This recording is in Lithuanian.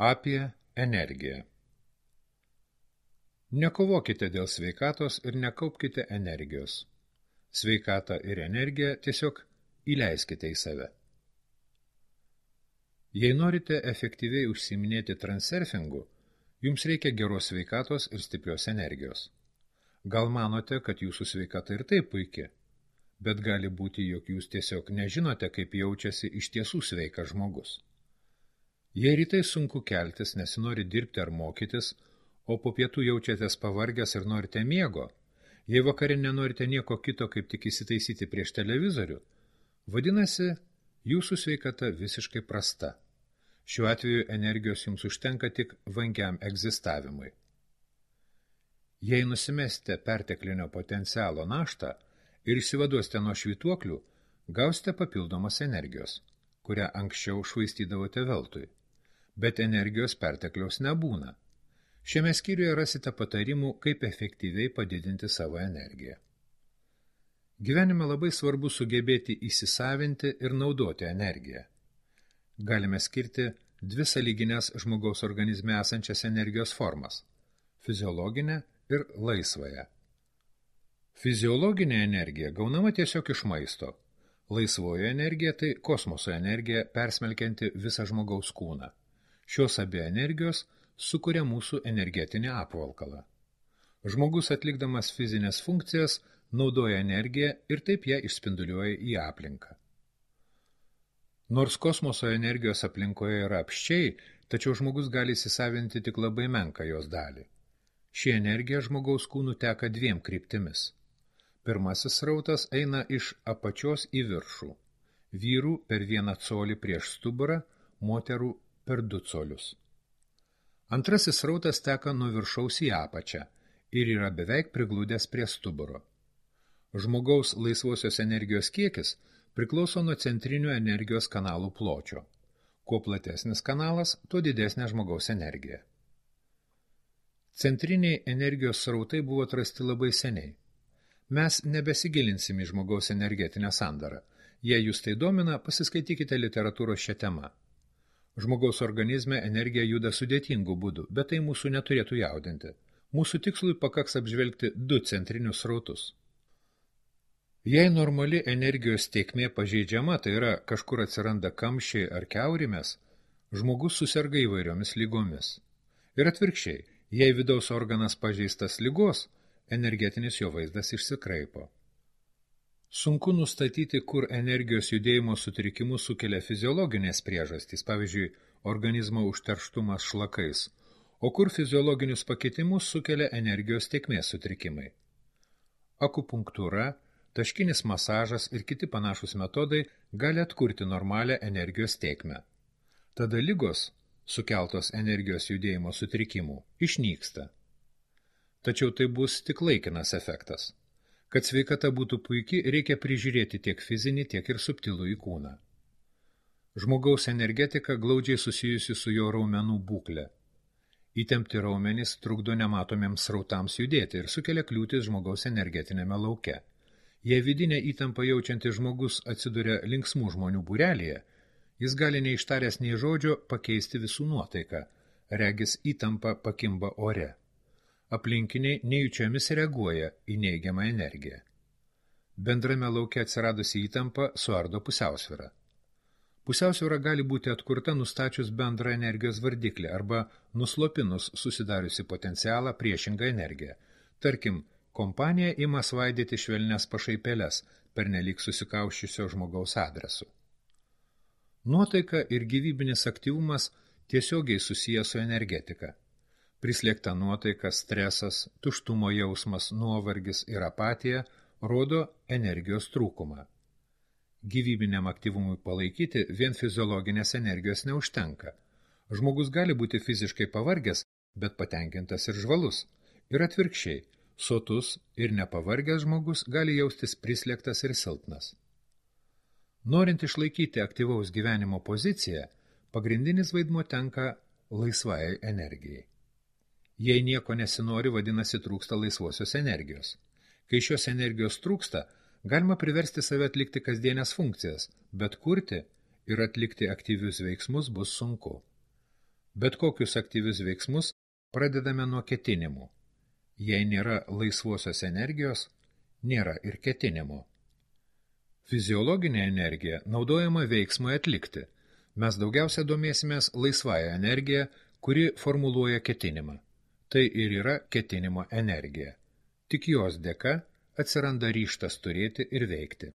Apie energiją. Nekovokite dėl sveikatos ir nekaupkite energijos. Sveikatą ir energiją tiesiog įleiskite į save. Jei norite efektyviai užsiiminėti transurfingu, jums reikia geros sveikatos ir stiprios energijos. Gal manote, kad jūsų sveikata ir taip puiki, bet gali būti, jog jūs tiesiog nežinote, kaip jaučiasi iš tiesų sveikas žmogus. Jei rytai sunku keltis, nesinori dirbti ar mokytis, o po pietų jaučiatės pavargęs ir norite miego, jei vakare nenorite nieko kito, kaip tik įsitaisyti prieš televizorių, vadinasi, jūsų sveikata visiškai prasta. Šiuo atveju energijos jums užtenka tik vangiam egzistavimui. Jei nusimesite perteklinio potencialo naštą ir išsivaduosite nuo švytuoklių, gausite papildomos energijos, kurią anksčiau švaistydavote veltui. Bet energijos pertekliaus nebūna. Šiame skyriuje rasite patarimų, kaip efektyviai padidinti savo energiją. Gyvenime labai svarbu sugebėti įsisavinti ir naudoti energiją. Galime skirti dvi sąlyginės žmogaus organizme esančias energijos formas – fiziologinę ir laisvąją. Fiziologinė energija gaunama tiesiog iš maisto. Laisvoji energija tai kosmoso energija persmelkianti visą žmogaus kūną. Šios abi energijos sukuria mūsų energetinį apvalkalą. Žmogus atlikdamas fizinės funkcijas naudoja energiją ir taip ją išspinduliuoja į aplinką. Nors kosmoso energijos aplinkoje yra apsčiai, tačiau žmogus gali įsisavinti tik labai menką jos dalį. Ši energija žmogaus kūnų teka dviem kryptimis. Pirmasis srautas eina iš apačios į viršų. Vyrų per 1 colį prieš stuburą, moterų per 2 colius. Antrasis srautas teka nuo viršaus į apačią ir yra beveik prigludęs prie stuburo. Žmogaus laisvosios energijos kiekis priklauso nuo centrinių energijos kanalų pločio. Kuo platesnis kanalas, tuo didesnė žmogaus energija. Centriniai energijos srautai buvo atrasti labai seniai. Mes nebesigilinsim į žmogaus energetinę sandarą. Jei jūs tai domina, pasiskaitykite literatūros šią temą. Žmogaus organizme energija juda sudėtingų būdų, bet tai mūsų neturėtų jaudinti. Mūsų tikslui pakaks apžvelgti 2 centrinius srautus. Jei normali energijos tėkmė pažeidžiama, tai yra kažkur atsiranda kamščiai ar kiaurimės, žmogus suserga įvairiomis lygomis. Ir atvirkščiai, jei vidaus organas pažeistas ligos, energetinis jo vaizdas išsikraipo. Sunku nustatyti, kur energijos judėjimo sutrikimus sukelia fiziologinės priežastys, pavyzdžiui, organizmo užterštumas šlakais, o kur fiziologinius pakitimus sukelia energijos tėkmės sutrikimai. Akupunktūra, taškinis masažas ir kiti panašūs metodai gali atkurti normalią energijos tėkmę. Tada ligos, sukeltos energijos judėjimo sutrikimų, išnyksta. Tačiau tai bus tik laikinas efektas. Kad sveikata būtų puiki, reikia prižiūrėti tiek fizinį, tiek ir subtilų į kūną. Žmogaus energetika glaudžiai susijusi su jo raumenų būkle. Įtempti raumenys trukdo nematomiems srautams judėti ir sukelia kliūtis žmogaus energetinėme lauke. Jei vidinę įtampą jaučiantis žmogus atsiduria linksmų žmonių būrelyje, jis gali neištaręs nei žodžio pakeisti visų nuotaiką, regis įtampa pakimba ore. Aplinkiniai nejučiomis reaguoja į neigiamą energiją. Bendrame lauke atsiradusi įtampa suardo pusiausvyrą. Pusiausvyra gali būti atkurta nustačius bendrą energijos vardiklį arba nuslopinus susidariusi potencialą priešingą energiją. Tarkim, kompanija ima svaidyti švelnias pašaipėles pernelyg susikauščiusio žmogaus adresu. Nuotaika ir gyvybinis aktyvumas tiesiogiai susiję su energetika. Prislėgta nuotaika, stresas, tuštumo jausmas, nuovargis ir apatija rodo energijos trūkumą. Gyvybiniam aktyvumui palaikyti vien fiziologinės energijos neužtenka. Žmogus gali būti fiziškai pavargęs, bet patenkintas ir žvalus. Ir atvirkščiai, sotus ir nepavargęs žmogus gali jaustis prislėgtas ir silpnas. Norint išlaikyti aktyvaus gyvenimo poziciją, pagrindinis vaidmuo tenka laisvai energijai. Jei nieko nesinori, vadinasi trūksta laisvosios energijos. Kai šios energijos trūksta, galima priversti save atlikti kasdienės funkcijas, bet kurti ir atlikti aktyvius veiksmus bus sunku. Bet kokius aktyvius veiksmus pradedame nuo ketinimų. Jei nėra laisvosios energijos, nėra ir ketinimo. Fiziologinė energija naudojama veiksmui atlikti. Mes daugiausia domėsimės laisvąją energiją, kuri formuluoja ketinimą. Tai ir yra ketinimo energija. Tik jos dėka atsiranda ryžtas turėti ir veikti.